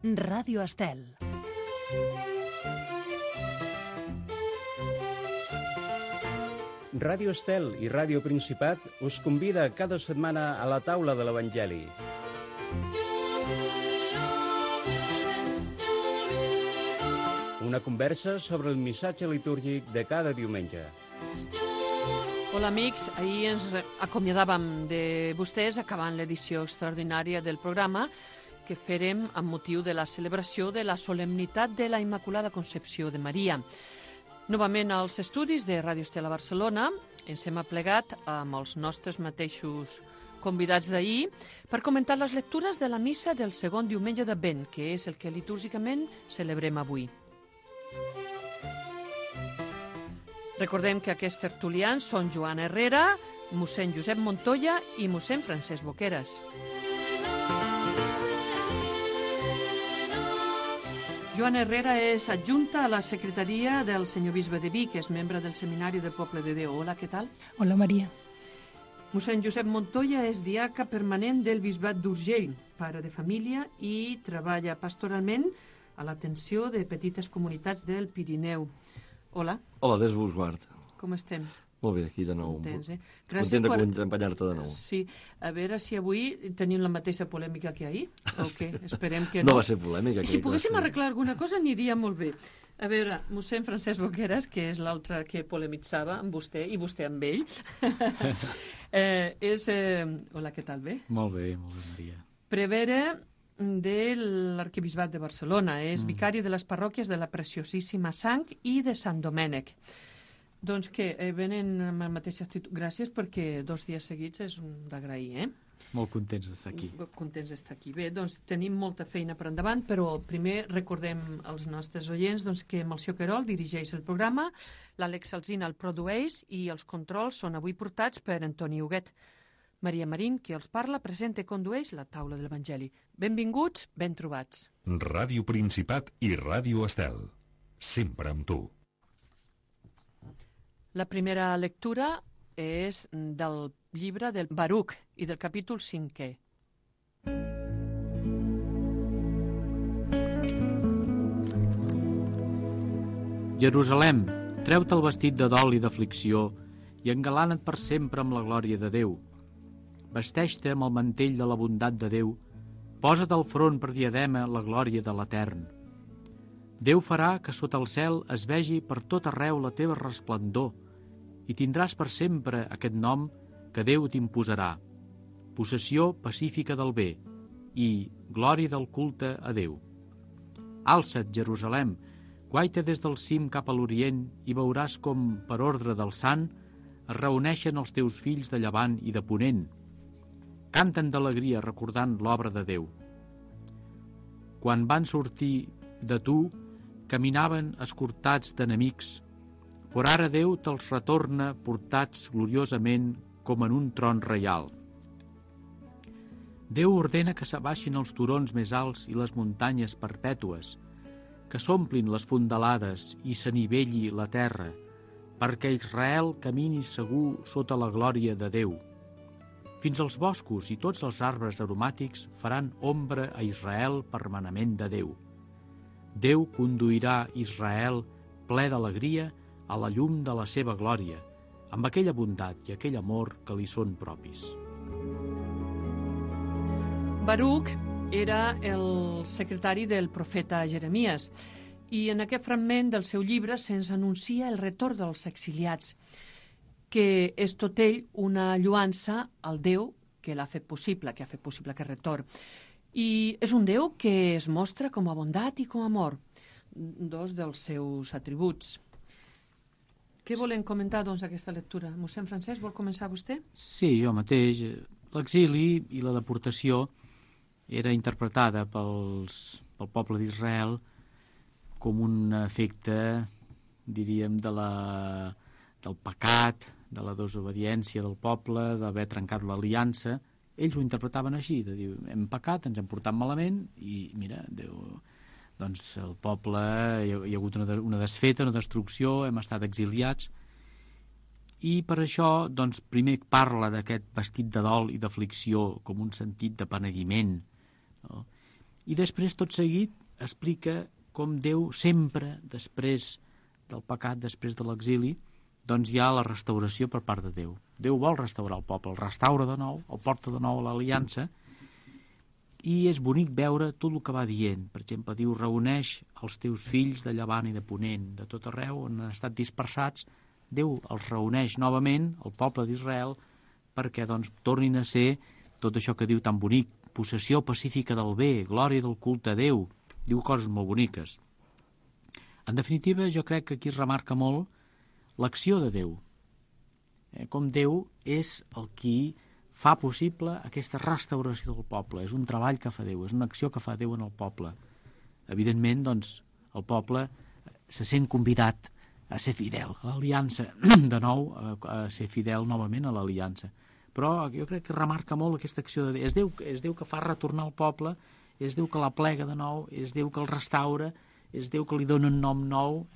Ràdio Estel. Ràdio Estel i Ràdio Principat us convida cada setmana a la taula de l'Evangeli. Una conversa sobre el missatge litúrgic de cada diumenge. Hola amics, ahir ens acomiadàvem de vostès acabant l'edició extraordinària del programa que farem amb motiu de la celebració de la solemnitat de la Immaculada Concepció de Maria. Novament als estudis de Ràdio Estel a Barcelona ens hem aplegat amb els nostres mateixos convidats d'ahir per comentar les lectures de la missa del segon diumenge d'Advent, que és el que litúrgicament celebrem avui. Recordem que aquests tertulians són Joan Herrera, mossèn Josep Montoya i mossèn Francesc Boqueras. Joan Herrera és adjunta a la secretaria del senyor bisbe de Vic, que és membre del Seminari del Poble de Déu. Hola, què tal? Hola, Maria. Mossèn Josep Montoya és diaca permanent del bisbat d'Urgell, pare de família, i treballa pastoralment a l'atenció de petites comunitats del Pirineu. Hola. Hola, Déu vos guard. Com estem? Molt bé, aquí de nou. Contents, Content d'acompanyar-te de nou. Sí, a veure si avui tenim la mateixa polèmica que ahir, o què? Esperem que no. No va ser polèmica. I si poguéssim arreglar alguna cosa aniria molt bé. A veure, mossèn Francesc Boqueras, que és l'altre que polemitzava amb vostè, i vostè amb ell, Hola, què tal, bé? Molt bé, Maria. Prevere de l'arquebisbat de Barcelona, és vicari de les parròquies de la Preciosíssima Sang i de Sant Domènec. Doncs que venen amb la mateixa actitud. Gràcies, perquè 2 dies seguits és d'agrair, Molt contents d'estar aquí. Contents d'estar aquí. Bé, doncs tenim molta feina per endavant, però primer recordem als nostres oients que Melcior Querol dirigeix el programa, l'Àlex Alsina el produeix i els controls són avui portats per Antoni Huguet. Maria Marín, qui els parla, presenta i condueix la taula de l'Evangeli. Benvinguts, ben trobats. Ràdio Principat i Ràdio Estel. Sempre amb tu. La primera lectura és del llibre del Baruc i del capítol 5è. Jerusalem, treu-te el vestit de dol i d'aflicció i engalana't per sempre amb la glòria de Déu. Vesteix-te amb el mantell de la bondat de Déu, posa't al front per diadema la glòria de l'Etern. Déu farà que sota el cel es vegi per tot arreu la teva resplendor i tindràs per sempre aquest nom que Déu t'imposarà, possessió pacífica del bé i glòria del culte a Déu. Alça't, Jerusalem, guaita des del cim cap a l'Orient i veuràs com, per ordre del Sant, es reuneixen els teus fills de llevant i de ponent. Canten d'alegria recordant l'obra de Déu. Quan van sortir de tu, caminaven escortats d'enemics, però ara Déu te'ls retorna portats gloriosament com en un tron reial. Déu ordena que s'abaixin els turons més alts i les muntanyes perpètues, que s'omplin les fondalades i s'anivelli la terra, perquè Israel camini segur sota la glòria de Déu. Fins als boscos i tots els arbres aromàtics faran ombra a Israel per manament de Déu. Déu conduirà Israel ple d'alegria a la llum de la seva glòria, amb aquella bondat i aquell amor que li són propis. Baruc era el secretari del profeta Jeremies i en aquest fragment del seu llibre se'ns anuncia el retorn dels exiliats, que és tot ell una lluança al Déu que l'ha fet possible, que ha fet possible aquest retorn. I és un Déu que es mostra com a bondat i com a amor, dos dels seus atributs. Què volen comentar, doncs, aquesta lectura? Mossèn Francesc, vol començar vostè? Sí, jo mateix. L'exili i la deportació era interpretada pel poble d'Israel com un efecte, diríem, del pecat, de la desobediència del poble, d'haver trencat l'aliança. Ells ho interpretaven així, de dir, hem pecat, ens hem portat malament i, mira, Déu, doncs el poble, hi ha hagut una desfeta, una destrucció, hem estat exiliats. I per això, doncs, primer parla d'aquest vestit de dol i d'aflicció com un sentit de penediment, no? I després, tot seguit, explica com Déu sempre, després del pecat, després de l'exili, doncs hi ha la restauració per part de Déu. Déu vol restaurar el poble, el restaura de nou, el porta de nou a l'aliança, i és bonic veure tot el que va dient. Per exemple, diu, reuneix els teus fills de llevant i de ponent, de tot arreu on han estat dispersats. Déu els reuneix novament, el poble d'Israel, perquè doncs tornin a ser tot això que diu tan bonic, possessió pacífica del bé, glòria del culte a Déu. Diu coses molt boniques. En definitiva, jo crec que aquí es remarca molt l'acció de Déu. Com Déu és el qui fa possible aquesta restauració del poble. És un treball que fa Déu, és una acció que fa Déu en el poble. Evidentment, doncs, el poble se sent convidat a ser fidel a l'aliança, de nou, a ser fidel novament a l'aliança. Però jo crec que remarca molt aquesta acció de Déu. És Déu que fa retornar el poble, és Déu que l'aplega de nou, és Déu que el restaura, és Déu que li dona un nom nou.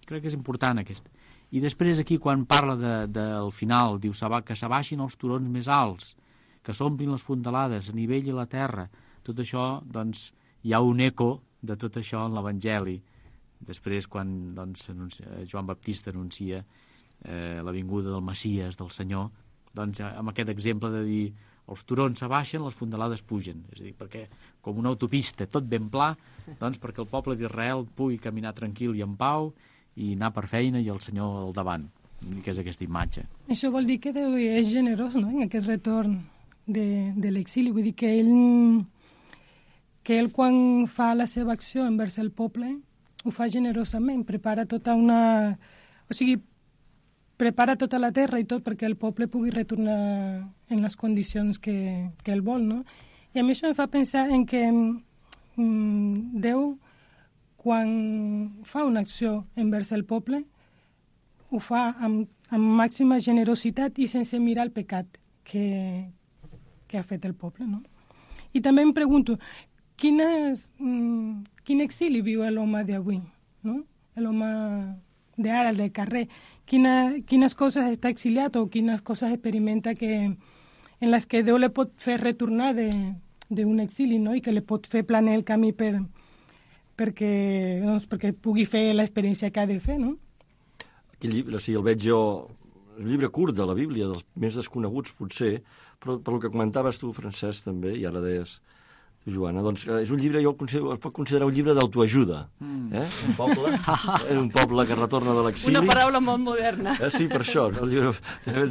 Crec que és important aquest. I després aquí, quan parla del final, diu que s'abaixin els turons més alts, que s'omplin les fondalades, a nivell i la terra. Tot això, doncs, hi ha un eco de tot això en l'Evangeli. Després, quan doncs, Joan Baptista anuncia la vinguda del Messies, del Senyor, doncs, amb aquest exemple de dir els turons s'abaixen, les fondalades pugen. És a dir, perquè com una autopista, tot ben pla, doncs perquè el poble d'Israel pugui caminar tranquil i en pau i anar per feina i el Senyor al davant. Que és aquesta imatge. Això vol dir que Déu és generós, no?, en aquest retorn de l'exili. Vull dir que ell quan fa la seva acció envers el poble ho fa generosament, prepara tota una... O sigui, prepara tota la terra i tot perquè el poble pugui retornar en les condicions que ell vol, no? I a mi això em fa pensar en que Déu, quan fa una acció envers el poble, ho fa amb màxima generositat i sense mirar el pecat que ha fet el poble, no? I també em pregunto, quin exili viu l'home d'avui, no? L'home d'ara, el del carrer. Quines coses està exiliat o quines coses experimenta en les que Déu le pot fer retornar d'un exili, no? I que le pot fer planear el camí perquè pugui fer l'experiència que ha de fer, no? Aquest llibre, sí, el veig jo, és un llibre curt de la Bíblia, dels més desconeguts potser, però per el que comentaves tu, Francesc, també, i ara deies tu, Joana, doncs és un llibre, es pot considerar un llibre d'autoajuda. Un poble que retorna de l'exili. Una paraula molt moderna. Sí, per això, el llibre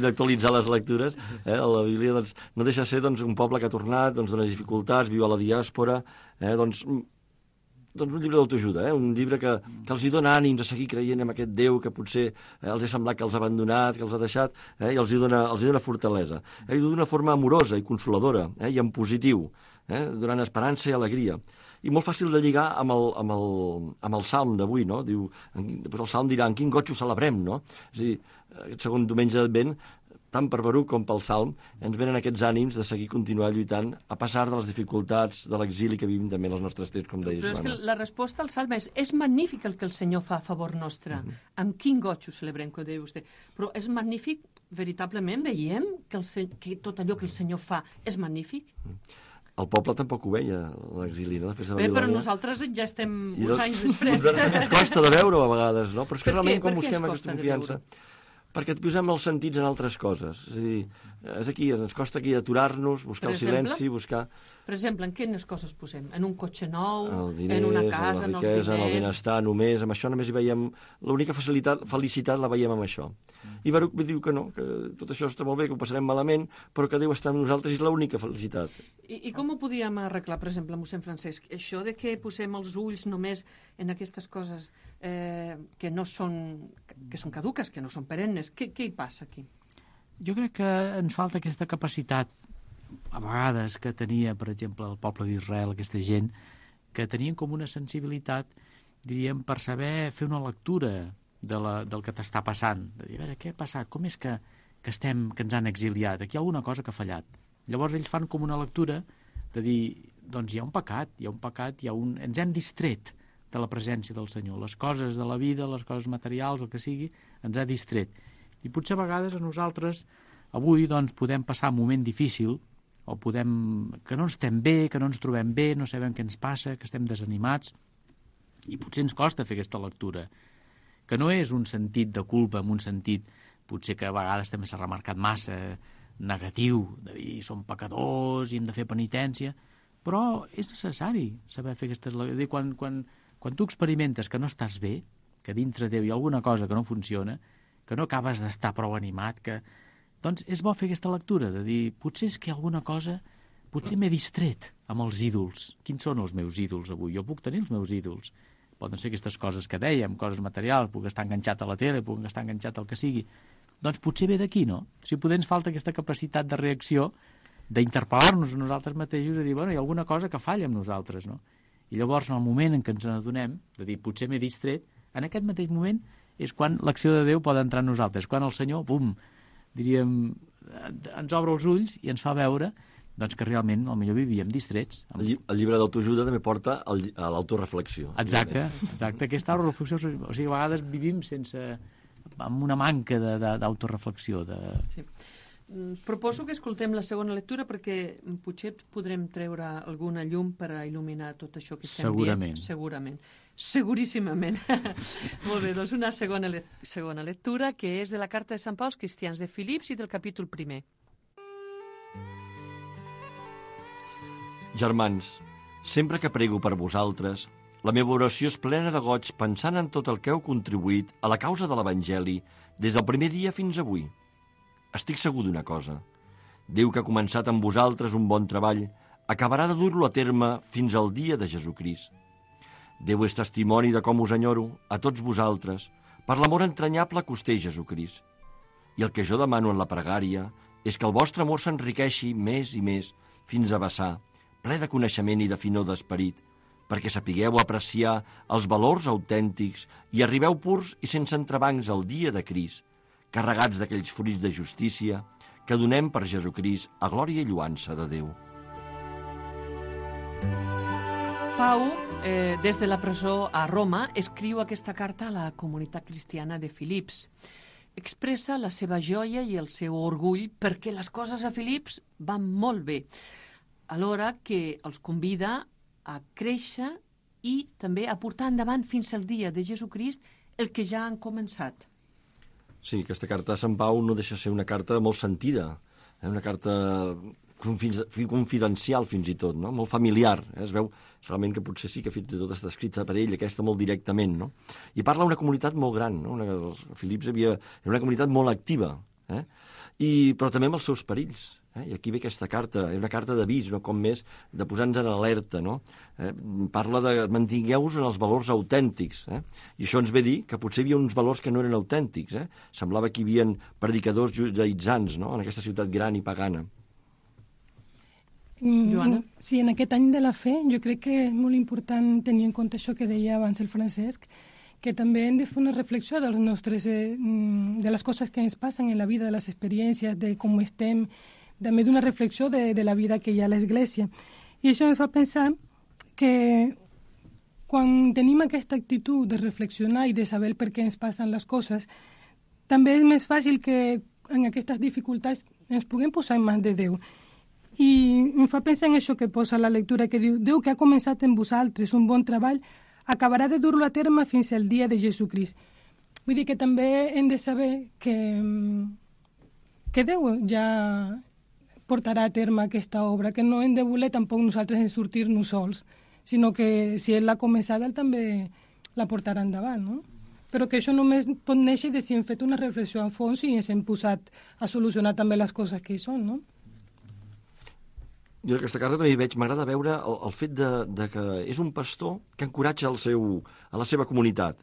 d'actualitzar les lectures, la Bíblia doncs, no deixa de ser doncs, un poble que ha tornat doncs, de les dificultats, viu a la diàspora, doncs un llibre d'autoajuda, un llibre que els hi dona ànims a seguir creient en aquest Déu que potser els ha semblat que els ha abandonat, que els ha deixat, i els hi dona fortalesa. I d'una forma amorosa i consoladora, i en positiu, donant esperança i alegria. I molt fàcil de lligar amb el Salm d'avui, no? Diu, el Salm dirà, en quin goig ho celebrem, no? És a dir, aquest segon diumenge d'Advent, tant per Baruc com pel Salm, ens venen aquests ànims de seguir continuar lluitant a pesar de les dificultats de l'exili que vivim també en els nostres temps, com deia Joana. Però és que la resposta al Salm és magnífic el que el Senyor fa a favor nostre. Amb quin goig ho celebrem, que ho deia vostè. Però és magnífic, veritablement, veiem que tot allò que el Senyor fa és magnífic. El poble tampoc ho veia, l'exili, no? Bé, però nosaltres ja estem uns anys després. Ens costa de veure a vegades, no? Però és que realment com busquem aquesta confiança? Perquè et posem els sentits en altres coses. És a dir, ens costa aquí aturar-nos, buscar el silenci, buscar... Per exemple, en quines coses posem? En un cotxe nou, diners, en una casa, en la riquesa, en el benestar, només, amb això només hi veiem... L'única felicitat la veiem amb això. I Baruc diu que no, que tot això està molt bé, que ho passarem malament, però que Déu està amb nosaltres i és l'única felicitat. I com ho podríem arreglar, per exemple, mossèn Francesc? Això de que posem els ulls només en aquestes coses que són caduques, que no són perennes, què hi passa aquí? Jo crec que ens falta aquesta capacitat, a vegades, que tenia, per exemple, el poble d'Israel, aquesta gent, que tenien com una sensibilitat, diríem, per saber fer una lectura del que t'està passant. De dir, a veure, què ha passat? Com és que ens han exiliat? Aquí hi ha alguna cosa que ha fallat. Llavors ells fan com una lectura de dir, doncs hi ha un pecat, ens hem distret de la presència del Senyor. Les coses de la vida, les coses materials, el que sigui, ens ha distret. I potser a vegades a nosaltres avui doncs, podem passar un moment difícil o que no estem bé, que no ens trobem bé, no sabem què ens passa, que estem desanimats, i potser ens costa fer aquesta lectura, que no és un sentit de culpa, en un sentit potser que a vegades també s'ha remarcat massa negatiu, de dir som pecadors i hem de fer penitència, però és necessari saber fer aquestes lectures. Quan tu experimentes que no estàs bé, que dintre teu hi ha alguna cosa que no funciona, que no acabes d'estar prou animat, doncs és bo fer aquesta lectura, de dir, potser és que alguna cosa, potser m'he distret amb els ídols. Quins són els meus ídols avui? Jo puc tenir els meus ídols. Poden ser aquestes coses que dèiem, coses materials, puc estar enganxat a la tele, puc estar enganxat al que sigui. Doncs potser ve d'aquí, no? Si potser ens falta aquesta capacitat de reacció, d'interpel·lar-nos a nosaltres mateixos i dir, bueno, hi ha alguna cosa que falla amb nosaltres, no? I llavors, en el moment en què ens n'adonem, de dir, potser m'he distret, en aquest mateix moment és quan l'acció de Déu pot entrar en nosaltres, quan el Senyor, bum, diríem, ens obre els ulls i ens fa veure doncs que realment potser vivíem distrets. El llibre d'autoajuda també porta a l'autoreflexió. Exacte, aquesta autoreflexió, o sigui, a vegades vivim amb una manca d'autoreflexió. Sí. Proposo que escoltem la segona lectura perquè potser podrem treure alguna llum per a il·luminar tot això que estem dient. Segurament. Seguríssimament. Molt bé, doncs una segona lectura que és de la carta de Sant Pau als cristians de Filips i del capítol 1. Germans, sempre que prego per vosaltres, la meva oració és plena de goig pensant en tot el que heu contribuït a la causa de l'Evangeli des del primer dia fins avui. Estic segur d'una cosa. Déu que ha començat amb vosaltres un bon treball acabarà de dur-lo a terme fins al dia de Jesucrist. Déu és testimoni de com us enyoro, a tots vosaltres, per l'amor entranyable que us té Jesucrist. I el que jo demano en la pregària és que el vostre amor s'enriqueixi més i més fins a vessar, ple de coneixement i de finor d'esperit, perquè sapigueu apreciar els valors autèntics i arribeu purs i sense entrebancs al dia de Crist, carregats d'aquells fruits de justícia que donem per Jesucrist a glòria i lluança de Déu. Pau, des de la presó a Roma, escriu aquesta carta a la comunitat cristiana de Filips. Expressa la seva joia i el seu orgull perquè les coses a Filips van molt bé, alhora que els convida a créixer i també a portar endavant fins al dia de Jesucrist el que ja han començat. Sí, aquesta carta de Sant Pau no deixa ser una carta molt sentida, una carta confidencial fins i tot, no? Molt familiar. Es veu realment que potser sí que fins i tot està escrita per ell, aquesta molt directament, no? I parla d'una comunitat molt gran, no? Filips era una comunitat molt activa, però també amb els seus perills. I aquí ve aquesta carta, és una carta d'avís, no com més de posar-nos en alerta, no? Parla de mantingueu-vos en els valors autèntics, i això ens ve dir que potser hi havia uns valors que no eren autèntics, Semblava que hi havia predicadors judaïtzants, no?, en aquesta ciutat gran i pagana. Joana? Sí, en aquest any de la fe jo crec que és molt important tenir en compte això que deia abans el Francesc, que també hem de fer una reflexió de les coses que ens passen en la vida, de les experiències, de com estem, també d'una reflexió de la vida que hi ha a l'Església. I això em fa pensar que quan tenim aquesta actitud de reflexionar i de saber per què ens passen les coses, també és més fàcil que en aquestes dificultats ens puguem posar en mans de Déu. I em fa pensar en això que posa la lectura, que diu: Déu que ha començat en vosaltres un bon treball acabarà de dur-lo a terme fins al dia de Jesucrist. Vull dir que també hem de saber que Déu ja portarà a terme aquesta obra, que no hem de voler tampoc nosaltres en sortir-nos sols, sinó que si ell l'ha començada, ell també la portarà endavant, no? Però que això només pot néixer de si hem fet una reflexió a fons i ens hem posat a solucionar també les coses que hi són, no? Jo en aquesta carta també m'agrada veure el fet de que és un pastor que encoratja a la seva comunitat.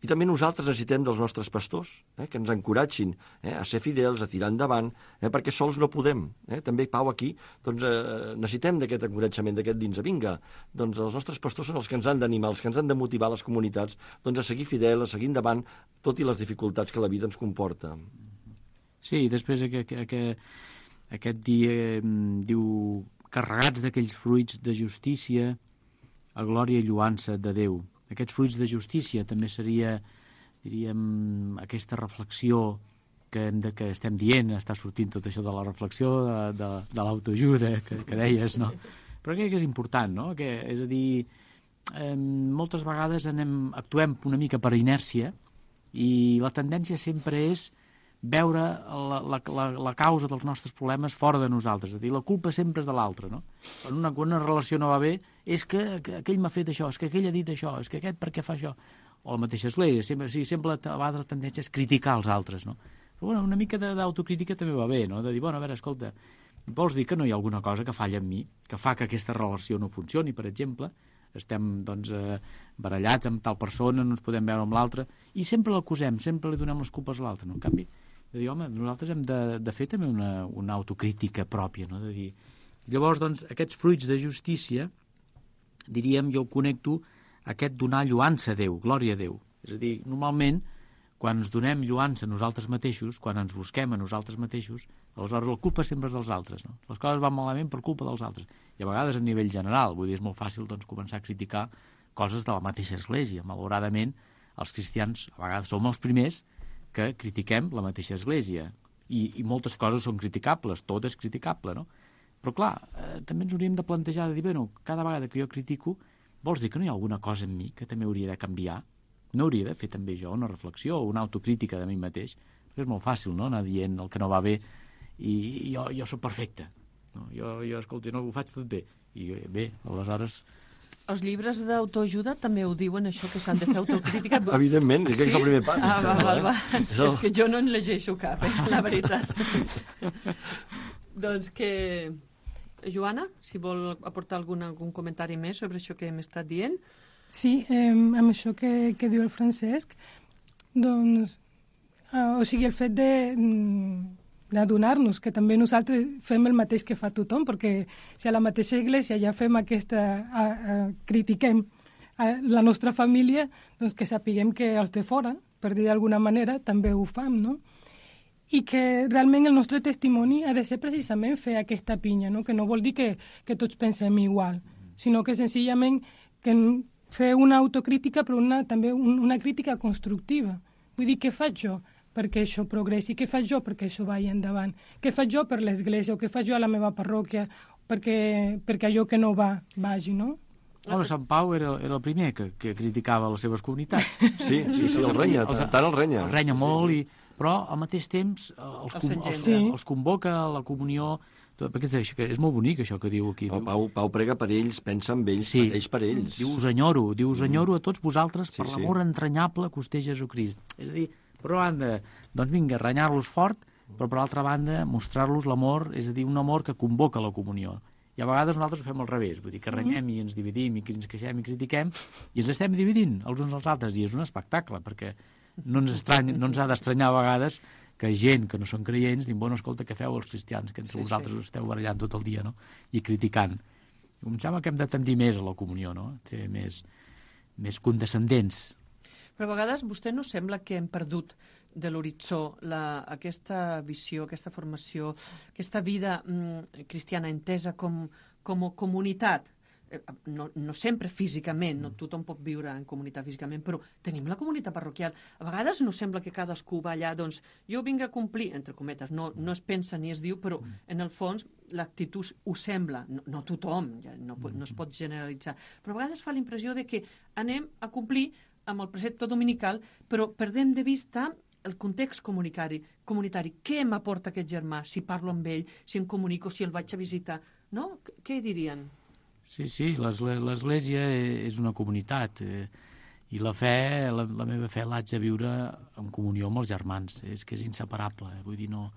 I també nosaltres necessitem dels nostres pastors, que ens encoratgin a ser fidels, a tirar endavant, perquè sols no podem. També, Pau, aquí necessitem d'aquest encoratjament, d'aquest dins. Vinga, doncs els nostres pastors són els que ens han d'animar, els que ens han de motivar les comunitats a seguir fidels, a seguir endavant, tot i les dificultats que la vida ens comporta. Sí, després aquest dia diu carregats d'aquells fruits de justícia a glòria i lluança de Déu. Aquests fruits de justícia també seria, diríem, aquesta reflexió que estem dient, està sortint tot això de la reflexió, de l'autoajuda que deies, no? Però crec que és important, no? És a dir, moltes vegades actuem una mica per inèrcia i la tendència sempre és veure la causa dels nostres problemes fora de nosaltres. És a dir, la culpa sempre és de l'altre, no? Quan una relació no va bé, és que aquell m'ha fet això, és que aquell ha dit això, és que aquest per què fa això? O la mateixa església, sempre a vegades la tendència és criticar els altres, no? Però bueno, una mica d'autocrítica també va bé, no? De dir, bueno, a veure, escolta, vols dir que no hi ha alguna cosa que falla en mi, que fa que aquesta relació no funcioni, per exemple? Estem, doncs, barallats amb tal persona, no ens podem veure amb l'altra, i sempre l'acusem, sempre li donem les culpes a l'altre, no? En canvi, de dir, home, nosaltres hem de fer també una autocrítica pròpia, no? De dir, llavors, doncs, aquests fruits de justícia, diríem, jo ho connecto aquest donar lloança a Déu, glòria a Déu. És a dir, normalment, quan ens donem lloança a nosaltres mateixos, quan ens busquem a nosaltres mateixos, aleshores la culpa sempre és dels altres, no? Les coses van malament per culpa dels altres. I a vegades a nivell general, vull dir, és molt fàcil doncs, començar a criticar coses de la mateixa església. Malauradament, els cristians a vegades som els primers que critiquem la mateixa església. I moltes coses són criticables, tot és criticable, no? Però clar, també ens hauríem de plantejar de dir, bueno, cada vegada que jo critico, vols dir que no hi ha alguna cosa en mi que també hauria de canviar? No hauria de fer també jo una reflexió o una autocrítica de mi mateix? Perquè és molt fàcil, no?, anar dient el que no va bé i jo soc perfecte. No? Jo, escolta, no, ho faig tot bé. I bé, aleshores... Els llibres d'autoajuda també ho diuen, això, que s'han de fer autocrítica. Evidentment, és que és el primer pas. Va. És que jo no en llegeixo cap, la veritat. Doncs que... Joana, si vol aportar algun comentari més sobre això que hem estat dient. Sí, amb això que diu el Francesc, doncs, o sigui, el fet d'adonar-nos que també nosaltres fem el mateix que fa tothom, perquè si a la mateixa església ja fem critiquem la nostra família, doncs que sapiguem que els de fora, per dir d'alguna manera, també ho fem, no? I que realment el nostre testimoni ha de ser precisament fer aquesta pinya, no? Que no vol dir que tots pensem igual, sinó que senzillament fer una autocrítica, però també una crítica constructiva. Vull dir, què faig jo perquè això progressi? Què faig jo perquè això vagi endavant? Què faig jo per l'església o què faig jo a la meva parròquia perquè allò que no vagi, no? Bueno, Sant Pau era el primer que criticava les seves comunitats. Sí, el renya, tant el renya. El renya molt, però al mateix temps els convoca a la comunió, perquè és molt bonic això que diu aquí. Pau prega per ells, pensa en ells, pateix per ells. Diu, us enyoro a tots vosaltres per l'amor entranyable que us té Jesucrist. És a dir, per una banda, doncs vinga, renyar-los fort, però per l'altra banda, mostrar-los l'amor, és a dir, un amor que convoca la comunió. I a vegades nosaltres ho fem al revés, vull dir que renyem i ens dividim i ens queixem i critiquem i ens estem dividint els uns als altres i és un espectacle, perquè no ens ha d'estranyar a vegades que gent que no són creients diuen, bueno, escolta, què feu els cristians, que entre vosaltres us esteu barallant tot el dia, no? I criticant. Em sembla que hem de tendir més a la comunió, no? Ser més condescendents. Però a vegades vostè no sembla que hem perdut de l'horitzó aquesta visió, aquesta formació, aquesta vida cristiana entesa com a comunitat. No sempre físicament, no tothom pot viure en comunitat físicament, però tenim la comunitat parroquial. A vegades no sembla que cadascú va allà, doncs, jo vinc a complir, entre cometes, no es pensa ni es diu, però en el fons l'actitud ho sembla, no tothom, ja no es pot generalitzar, però a vegades fa la impressió de que anem a complir amb el precepte dominical, però perdem de vista el context comunitari. Què m'aporta aquest germà, si parlo amb ell, si em comunico, si el vaig a visitar, no? Què dirien? Sí, l'Església és una comunitat i la fe, la meva fe l'haig de viure en comunió amb els germans, és que és inseparable, vull dir, no...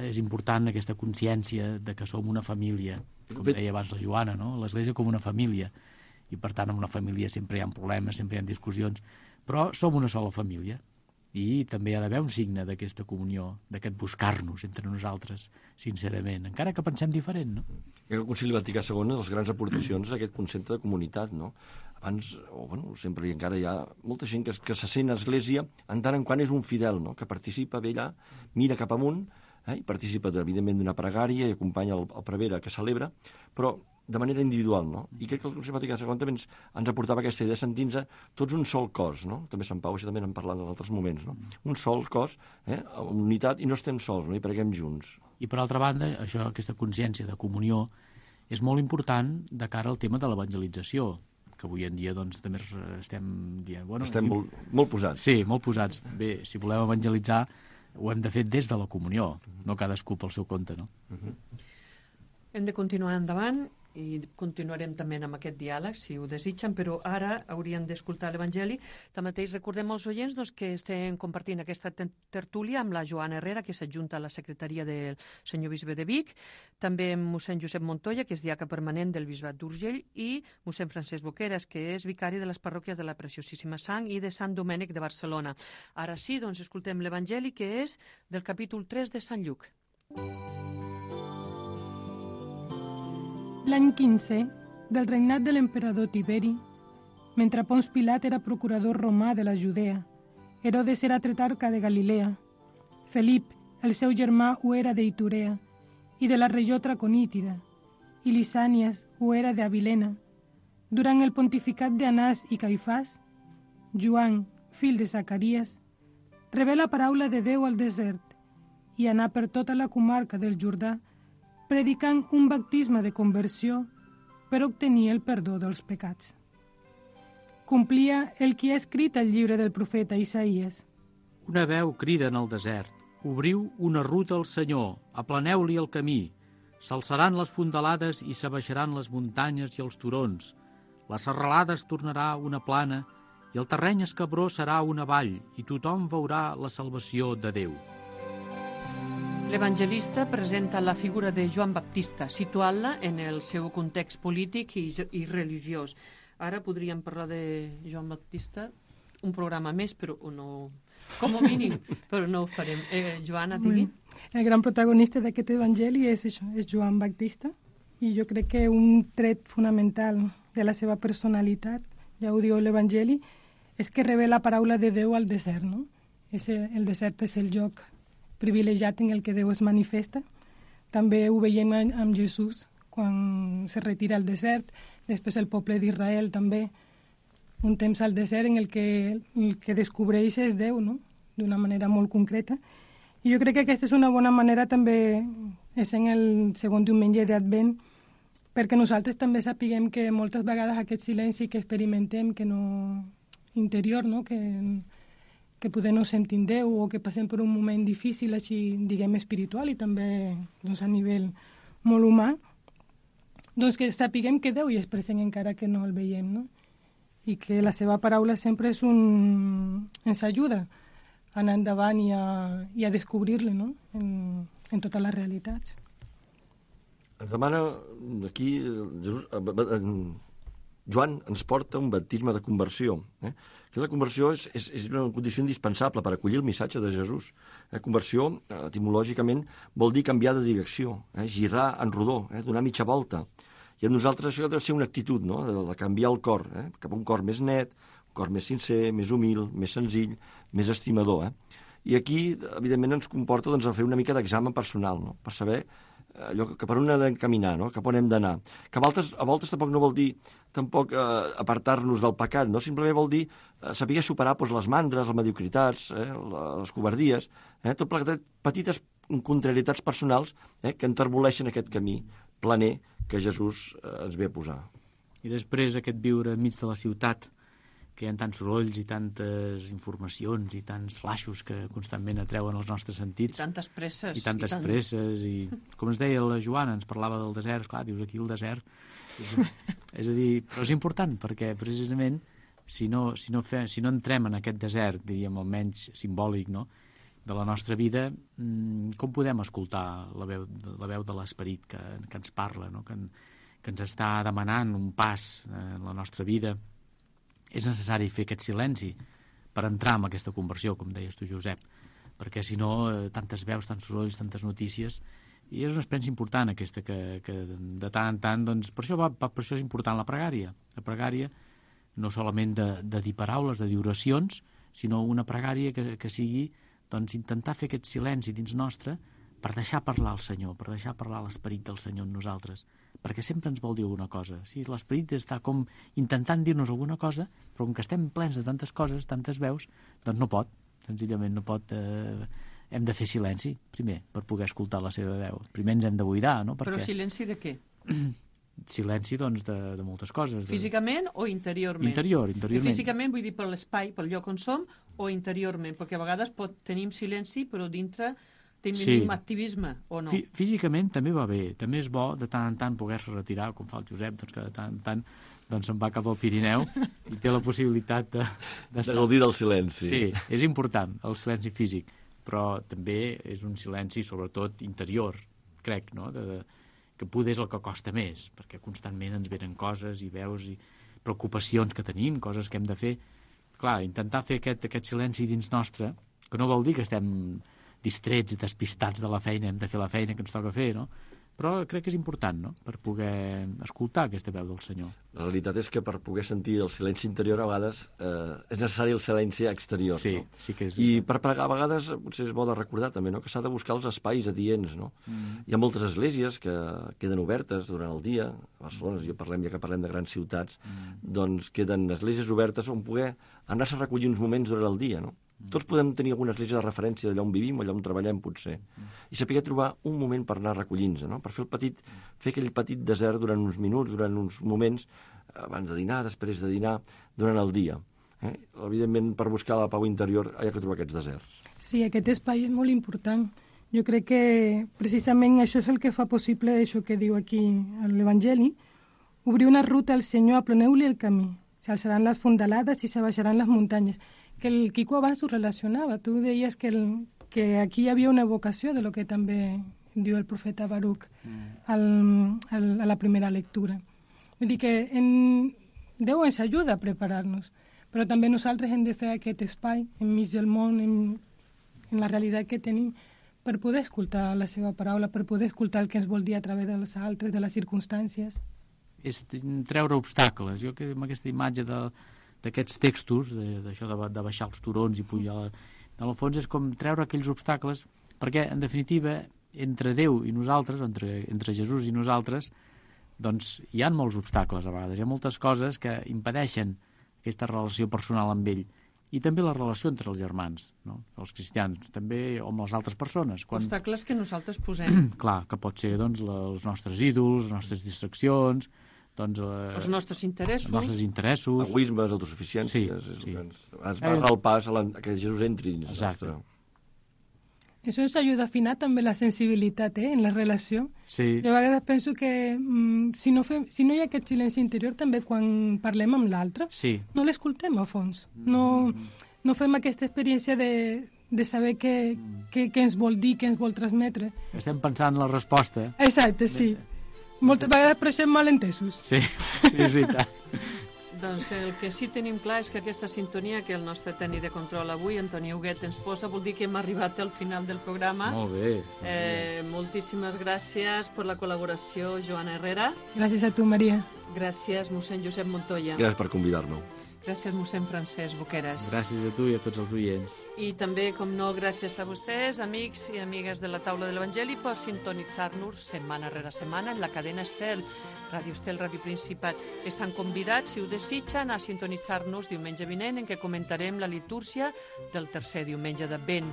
És important aquesta consciència de que som una família, com deia abans la Joana, no? L'Església com una família, i per tant en una família sempre hi ha problemes, sempre hi ha discussions, però som una sola família, i també hi ha d'haver un signe d'aquesta comunió, d'aquest buscar-nos entre nosaltres, sincerament, encara que pensem diferent, no? I el Concili Vaticà II, les grans aportacions és aquest concepte de comunitat, no? Abans, sempre i encara hi ha molta gent que se sent a l'església, en tant en quant és un fidel, no? Que participa bé allà, mira cap amunt, i participa, evidentment, d'una pregària i acompanya el prevere que celebra, però de manera individual, no? I crec que el Consell Vaticà II també ens aportava aquesta idea de sentir-nos tots un sol cos, no? També Sant Pau, això també n'hem parlat en altres moments, no? Un sol cos, amb unitat, i no estem sols, no? I preguem junts. I per altra banda, aquesta consciència de comunió és molt important de cara al tema de l'evangelització, que avui en dia doncs, també estem dient... Bueno, estem molt posats. Sí, molt posats. Bé, si volem evangelitzar, ho hem de fer des de la comunió, no cadascú pel seu compte, no? Hem de continuar endavant i continuarem també amb aquest diàleg, si ho desitgen, però ara haurien d'escoltar l'Evangeli. Tanmateix recordem als oients doncs, que estem compartint aquesta tertúlia amb la Joana Herrera, que s'adjunta a la secretaria del senyor bisbe de Vic, també amb mossèn Josep Montoya, que és diaca permanent del bisbat d'Urgell, i mossèn Francesc Boqueras, que és vicari de les parròquies de la Preciosíssima Sang i de Sant Domènec de Barcelona. Ara sí, doncs escoltem l'Evangeli, que és del capítol 3 de Sant Lluc. L'any 15 del regnat de l'emperador Tiberi, mentre Pons Pilat era procurador romà de la Judea, Herodes era tetrarca de Galilea, Felip, el seu germà, ho era d'Iturea i de la regió traconítida, i Lisànies ho era d'Avilena. Durant el pontificat d'Anàs i Caifàs, Joan, fill de Zacarias, rebé la paraula de Déu al desert i anà per tota la comarca del Jordà, predicant un baptisme de conversió per obtenir el perdó dels pecats. Complia el que ha escrit al llibre del profeta Isaïes. Una veu crida en el desert: obriu una ruta al Senyor, aplaneu-li el camí. S'alçaran les fondalades i s'abaixaran les muntanyes i els turons. La serralada es tornarà una plana i el terreny escabrós serà una vall i tothom veurà la salvació de Déu. L'evangelista presenta la figura de Joan Baptista, situant-la en el seu context polític i religiós. Ara podríem parlar de Joan Baptista un programa més, però no, com a mínim, però no ho farem. Joana, digui. El gran protagonista d'aquest evangeli és això, és Joan Baptista, i jo crec que un tret fonamental de la seva personalitat, ja ho diu l'evangeli, és que rebé la paraula de Déu al desert, no? El desert és el lloc privilegiat en el que Déu es manifesta. També ho veiem amb Jesús, quan se retira al desert, després el poble d'Israel també, un temps al desert en el que descobreix és Déu, no? D'una manera molt concreta. I jo crec que aquesta és una bona manera també, és en el segon diumenge d'Advent, perquè nosaltres també sapiguem que moltes vegades aquest silenci que experimentem, que no interior, no? Que poder no sentim Déu o que passem per un moment difícil, així, diguem, espiritual i també doncs, a nivell molt humà, doncs que sapiguem que Déu hi és present encara que no el veiem, no? I que la seva paraula sempre ens ajuda a anar endavant i a descobrir-le, no? En totes les realitats. Ens demana aquí Joan ens porta un baptisme de conversió. Que la conversió és una condició indispensable per acollir el missatge de Jesús. Conversió, etimològicament, vol dir canviar de direcció, girar en rodó, donar mitja volta. I a nosaltres això ha de ser una actitud, no? De canviar el cor, cap a un cor més net, un cor més sincer, més humil, més senzill, més estimador. I aquí, evidentment, ens comporta doncs, a fer una mica d'examen personal, no? Per saber allò que per on hem de caminar, no? Cap on hem d'anar. Que a voltes tampoc no vol dir apartar-nos del pecat, no? Simplement vol dir saber superar doncs, les mandres, les mediocritats, les covardies, tot plegat petites contrarietats personals que enterboleixen aquest camí planer que Jesús ens ve a posar. I després aquest viure enmig de la ciutat, que hi ha tants sorolls i tantes informacions i tants flaixos que constantment atreuen els nostres sentits. I tantes presses. I tantes presses. I, com ens deia la Joana, ens parlava del desert. Clar, dius, aquí el desert. És a dir, però és important, perquè precisament si no entrem en aquest desert, diríem, almenys simbòlic, no?, de la nostra vida, com podem escoltar la veu de l'esperit que ens parla, no?, que ens està demanant un pas en la nostra vida? És necessari fer aquest silenci per entrar en aquesta conversió, com deies tu, Josep, perquè si no, tantes veus, tants sorolls, tantes notícies, i és una experiència important aquesta que de tant en tant, doncs, per això és important la pregària. La pregària no solament de dir paraules, de dir oracions, sinó una pregària que sigui doncs, intentar fer aquest silenci dins nostre per deixar parlar el Senyor, per deixar parlar l'esperit del Senyor en nosaltres, perquè sempre ens vol dir alguna cosa. Sí, l'esperit està com intentant dir-nos alguna cosa, però com que estem plens de tantes coses, tantes veus, doncs no pot, senzillament no pot. Hem de fer silenci, primer, per poder escoltar la seva veu. Primer ens hem de buidar, no? Però silenci de què? Silenci, doncs, de moltes coses. Físicament o interiorment? Interiorment. Físicament vull dir per l'espai, pel lloc on som, o interiorment? Perquè a vegades tenim silenci, però dintre tenim activisme, o no? Físicament també va bé. També és bo de tant en tant poder-se retirar, com fa el Josep, doncs que de tant en tant se'n va cap al Pirineu i té la possibilitat de gaudir del silenci. Sí, és important, el silenci físic, però també és un silenci, sobretot, interior, crec, no?, que poder és el que costa més, perquè constantment ens venen coses i veus i preocupacions que tenim, coses que hem de fer. Clar, intentar fer aquest silenci dins nostre, que no vol dir que estem distrets i despistats de la feina, hem de fer la feina que ens toca fer, no? Però crec que és important, no?, per poder escoltar aquesta veu del Senyor. La realitat és que per poder sentir el silenci interior a vegades és necessari el silenci exterior. Sí, no? sí que és... I per plegar a vegades potser és bo de recordar també, no?, que s'ha de buscar els espais adients, no? Hi ha moltes esglésies que queden obertes durant el dia. A Barcelona, ja que parlem de grans ciutats, doncs queden esglésies obertes on poder anar-se a recollir uns moments durant el dia, no? Tots podem tenir alguna església de referència d'allà on vivim, allà on treballem, potser. I saber trobar un moment per anar recollint-se, no?, per fer aquell petit desert durant uns minuts, durant uns moments, abans de dinar, després de dinar, durant el dia. Evidentment, per buscar la pau interior, hi ha que trobar aquests deserts. Sí, aquest espai és molt important. Jo crec que precisament això és el que fa possible això que diu aquí l'Evangeli, obrir una ruta al Senyor, aplaneu-li el camí. S'alçaran les fondalades i s'abaixaran les muntanyes. Que el Quico abans ho relacionava. Tu deies que aquí hi havia una evocació de lo que també diu el profeta Baruc a la primera lectura. Vull dir que Déu ens ajuda a preparar-nos, però també nosaltres hem de fer aquest espai enmig del món, en la realitat que tenim, per poder escoltar la seva paraula, per poder escoltar el que ens vol dir a través dels altres, de les circumstàncies. És treure obstacles. Jo que amb aquesta imatge d'aquests textos, d'això de baixar els turons i pujar, en el fons és com treure aquells obstacles, perquè en definitiva entre Déu i nosaltres, entre Jesús i nosaltres, doncs hi ha molts obstacles a vegades, hi ha moltes coses que impedeixen aquesta relació personal amb ell, i també la relació entre els germans, no?, els cristians, també amb les altres persones. Obstacles que nosaltres posem. Clar, que pot ser doncs, els nostres ídols, les nostres distraccions, doncs, els nostres interessos. Egoismes, autosuficiències. Sí. Es barra el pas que Jesús entri dins el nostre. Això ens ajuda a afinar també la sensibilitat en la relació. Sí. Jo a vegades penso que si no hi ha aquest silenci interior, també quan parlem amb l'altre, no l'escoltem a fons. No fem aquesta experiència de saber què ens vol dir, què ens vol transmetre. Estem pensant en la resposta. Exacte, sí. Moltes vegades però estem malentesos. Sí, és veritat. Doncs el que sí tenim clar és que aquesta sintonia que el nostre tècnic de control avui, Antoni Huguet, ens posa, vol dir que hem arribat al final del programa. Molt bé. Moltíssimes gràcies per la col·laboració, Joana Herrera. Gràcies a tu, Maria. Gràcies, mossèn Josep Montoya. Gràcies per convidar-me. Gràcies, mossèn Francesc Boqueras. Gràcies a tu i a tots els oients. I també, com no, gràcies a vostès, amics i amigues de la taula de l'Evangeli, per sintonitzar-nos setmana rere setmana en la cadena Estel, Ràdio Estel, Ràdio Principat. Estan convidats, si ho desitgen, a sintonitzar-nos diumenge vinent, en què comentarem la litúrgia del tercer diumenge d'Advent.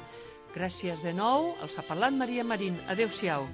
Gràcies de nou. Els ha parlat Maria Marín. Adéu-siau.